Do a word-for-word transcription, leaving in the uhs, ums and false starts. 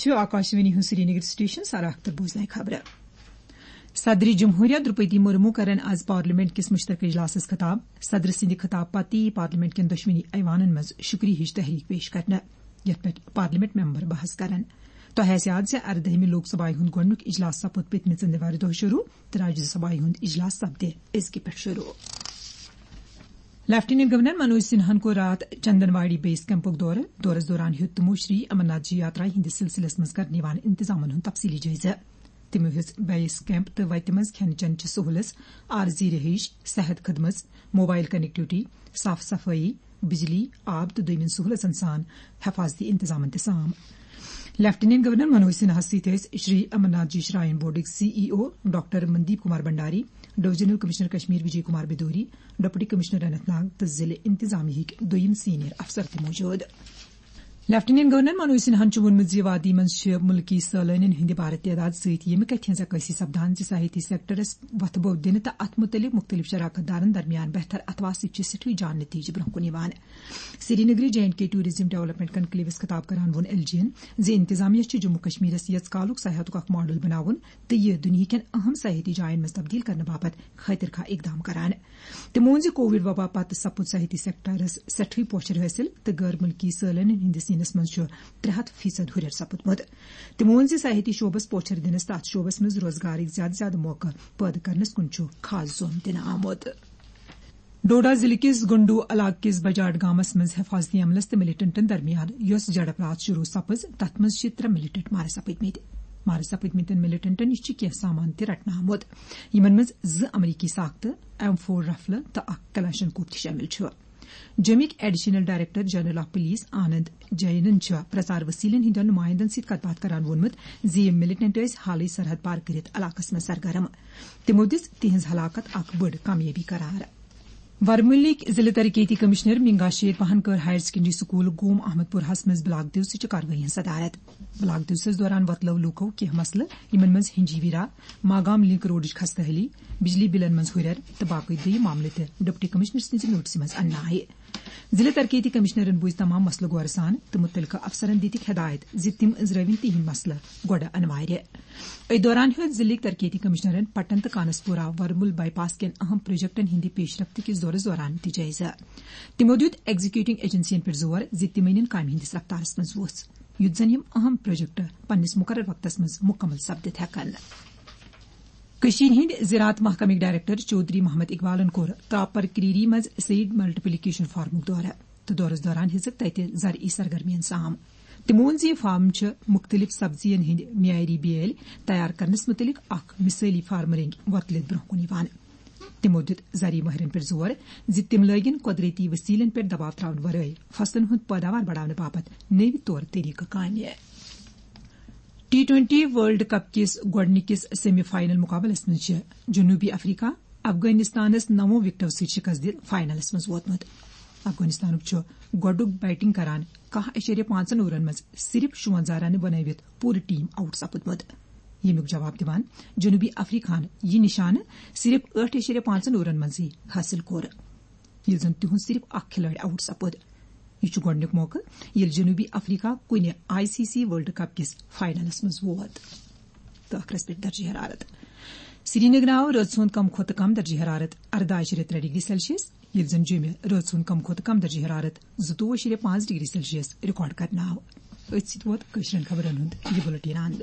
چھُ آکاشوانی ہُنٛد سرینگر سٹیشن۔ سارا اختر بوزناوِ خبرٕ۔ صدر جمہوریہ درپتی مرمو کرن آز پارلیمنٹ کِس مشترکہ اجلاسس خطاب۔ صدر سٕنٛدِ خطاب پتہٕ یِیہِ پارلیمنٹ کٮ۪ن دۄشوٕنی ایوانن منٛز شُکریہٕچ تحریک پیش کرنہٕ، یتھ پٮ۪ٹھ پارلیمنٹ ممبر بحث کرن۔ تۄہہِ آسہِ یاد زِ اردٲہمہِ لوک سبھایہِ ہُنٛد گۄڈٕنیُک اجلاس سپُد پٔتمہِ ژٔنٛدٕروارِ دۄہ شروٗع تہٕ راجیہ سبھایہِ ہُنٛد اجلاس سپدِ أزکہِ پٮ۪ٹھ شروٗع۔ لیفٹیننٹ گورنر منوج سنہاہن کوٚر راتھ چندن واڑی بیس کیمپُک دورٕ۔ دورس دوران ہیوٚت تِمو شری امرناتھ جی یاترا ہٕنٛدِس سلسلس منٛز کرنہٕ یِوان انتظامن ہُنٛد تفصیلی جٲیزٕ۔ تِمو ہیوٚژ بیس کیمپ تہٕ وتہِ منٛز کھٮ۪ن چٮ۪ن چہِ سہوٗلژ، عارضی رہٲیِش، صحت خدمژ، موبایل کنیکٹیوٹی، صاف صفٲیی، بجلی، آب تہٕ دوٚیمٮ۪ن سہوٗلژن سان حفاظتی انتظامن تہِ سام۔ لیفٹیننٹ گورنر منوج سنہاہس سۭتۍ ٲسۍ شری امرناتھ جی شراین بورڈٕکۍ سی ای او doctor Mandeep Kumar Bhandari, divisional commissioner Kashmir وجے کمار بدوری، ڈپٹی کمشنر اننت ناگ تہٕ ضلع انتظامیہ ہٕکۍ دوٚیِم سینئر افسر تہِ موجود۔ لیفٹیننٹ گورنر منوج سنہاہن چھُ ووٚنمُت زِ وادی منٛز چھِ مُلکی سٲلٲنین ہٕنٛدِ بارٕ تعداد سۭتۍ ییٚمہِ کتھِ ہٕنٛز عکٲسی سپدان زِ سیاحتی سیکٹرس وۄتھٕ بو دِنہٕ تہٕ اتھ مُتعلق مُختٔلِف شراکت دارن درمیان بہتر اتھہٕ آسٕچ چھِ سٮ۪ٹھٕے جان نتیجہٕ برونٛہہ کُن یِوان۔ سرینگرٕ J and K tourism development کنکلیوس خطاب کران ووٚن ایل جی ین زِ انتظامیہ چھُ جموں کشمیرس یژ کالُک سیاحتُک اکھ ماڈل بناوُن تہٕ یہِ دُنیہکٮ۪ن اہم سیاحتی جاین منٛز تبدیل کرنہٕ باپتھ خٲطر خواہ اقدام کران۔ تِمو ووٚن زِ کووڈ وبا پتہٕ سپُد سیاحتی سیکٹرس سٮ۪ٹھٕے پوچھر حٲصِل تہٕ غٲر مُلکی سٲلٲنین ہٕنٛدِس یِنس منٛز چھُ ترٛےٚ ہتھ فیصد ہُرٮ۪ر سپُدمُت۔ تِمو ووٚن زِ سیاحتی شعبس پوچھر دِنس تہٕ اتھ شعبس منٛز روزگارٕکۍ زیادٕ زیادٕ موقعہٕ پٲدٕ کرنس کُن چھُ خاص زوم دِنہٕ آمُت۔ ڈوڈا ضلعہٕ کِس گنڈو علاقہٕ کِس بجاٹ گامس منٛز حفاظتی عملس تہٕ ملیٹنٹن درمیان یۄس جھڑپ راتھ شروع سپٕز، تتھ منٛز چھِ ترٛےٚ ملیٹنٹ مارٕ سپٕدمٕتۍ۔ مارٕ سپٕدمٕتٮ۪ن ملیٹنٹن نِش چھُ کینٛہہ سامان تہِ رٹنہٕ آمُت، یِمن منٛز زٕ امریکی ساختہٕ، ایم فور رفلہٕ تہٕ اکھ کلاشن کوپ تہِ شٲمِل چھُ۔ جوٚمِکۍ additional director general of police Anand جینن چھُ پرچار وسیلن ہٕنٛدٮ۪ن نمائندن سۭتۍ کتھ باتھ کران ووٚنمُت زِ یِم ملیٹنٹ ٲسۍ حالٕے سرحد پار کٔرِتھ علاقس منٛز سرگرم۔ تِمو دِژ تِہنٛز ہلاکت اکھ بٔڑ کامیٲبی قرار۔ ورمُلٕکۍ ضلع ترقیتی کمشنر منگا شیر پہن کٔر ہائر سیکنڈری سکول گوم احمد پورہس منٛز بلاک دیوسٕچہِ کاروٲیی ہٕنٛز صدارت۔ بلاک دیوسس دوران وۄتلٲو لوٗکو کینٛہہ مسلہٕ، یِمن منٛز ہنجیویرا، ماگام لنک روڈٕچ خستہٕ حٲلی، بجلی بلن منٛز ہُرٮ۪ر تہٕ باقٕے دوٚیِم معاملہٕ تہِ ڈپٹی کمشنر سٕنٛزِ نوٹسہِ منٛز اننہٕ آیہِ۔ ضلع ترقیتی کمشنرن بوٗزۍ تمام مسلہٕ غورٕ سان تہٕ مُتعلقہٕ افسرن دِتِکھ ہدایت زِ تِم أنٛزرٲوِن تِہنٛدۍ مسلہٕ گۄڈٕ انوارِ۔ أتھۍ دوران ہیوٚت ضلعٕکۍ ترقیتی کمشنرن پٹن تہٕ کانسپورہ ورمُل بائی پاس کٮ۪ن اہم پروجیکٹن ہٕنٛدِ پیش رفت کِس دورس دوران تہِ جٲیزٕ۔ تِمو دیُت ایگزیکیوٹنگ ایجنسین پٮ۪ٹھ زور زِ تِم أنِن کامہِ ہٕنٛدِس رفتارس منٛز وُژھ، یُتھ زن یِم اہم پروجیکٹ پننِس مقرر وقتس منٛز مُکمل سپدِتھ ہٮ۪کن۔ کٔشیٖرِ ہٕنٛدۍ زراعت محکمٕکۍ ڈائریکٹر چودھری محمد اقبالن کوٚر تراپر کریری منٛز سیڈ ملٹیپلیکیشن فارمُک دورٕ تہٕ دورس دوران ہیٚژٕکھ تتہِ زرعی سرگرمیَن سام۔ تِمو ووٚن زِ یہِ فارم چھِ مُختٔلِف سبزین ہٕنٛدۍ معیاری بیٲلۍ تیار کرنس مُتعلق اکھ مثٲلی فارم رٔنگۍ وۄتلِتھ برونٛہہ کُن یِوان۔ تِمو دیُت زرعی مٲہرن پٮ۪ٹھ زور زِ تِم لٲگِن قۄدرٔتی وسیلن پٮ۪ٹھ دباو تراونہٕ ورٲے فصلن ہُنٛد پٲداوار بڑاونہٕ باپتھ نٔوۍ طور طریقہٕ کامہِ۔ ٹی ٹوئنٹی ورلڈ کپ کِس گۄڈٕنِکِس سیمی فائنل مقابلس منٛز چھِ جنوبی افریقہ افغانستانس نَوو وکٹو سۭتۍ شکست دِتھ فائنلس منٛز ووتمُت۔ افغانستانُک چھُ گۄڈٕنیُک بیٹنگ کران کاہ اعشاریہ پانٛژن اوورن منٛز صرف شُونٛزاہ رنہٕ بنٲوِتھ پوٗرٕ ٹیم آؤٹ سپُدمُت، ییٚمیُک جواب دِوان جنوبی افریقہن یہِ نشانہٕ صرف ٲٹھ اعشاریہ پانٛژن اوورن منٛزٕے حٲصِل کوٚر، ییٚلہِ زن تِہُنٛد صرف اکھ کھلٲڑۍ آؤٹ سپُد۔ یہِ چھُ گۄڈٕنیُک موقعہٕ ییٚلہِ جنوبی افریقہ کُنہِ I C C world cup کِس فائنلس منٛز ووت۔ تہٕ ٲخرس پٮ۪ٹھ درجہ حرارت۔ سرینگر آو رٲژ ہُنٛد کم کھۄتہٕ کم درجہ حرارت ارداہ اعشاریہ ترٛےٚ ڈگری سیلسیس، ییٚلہِ زن جوٚمہِ رٲژ ہُنٛد کم کھۄتہٕ کم درجہ حرارت زٕتووُہ اعشاریہ پانٛژھ ڈگری سیلسیس ریکارڈ کرنہٕ آو۔ أتھۍ سۭتۍ ووت کٲشرٮ۪ن خبرن ہُنٛد یہِ بُلٹن اند۔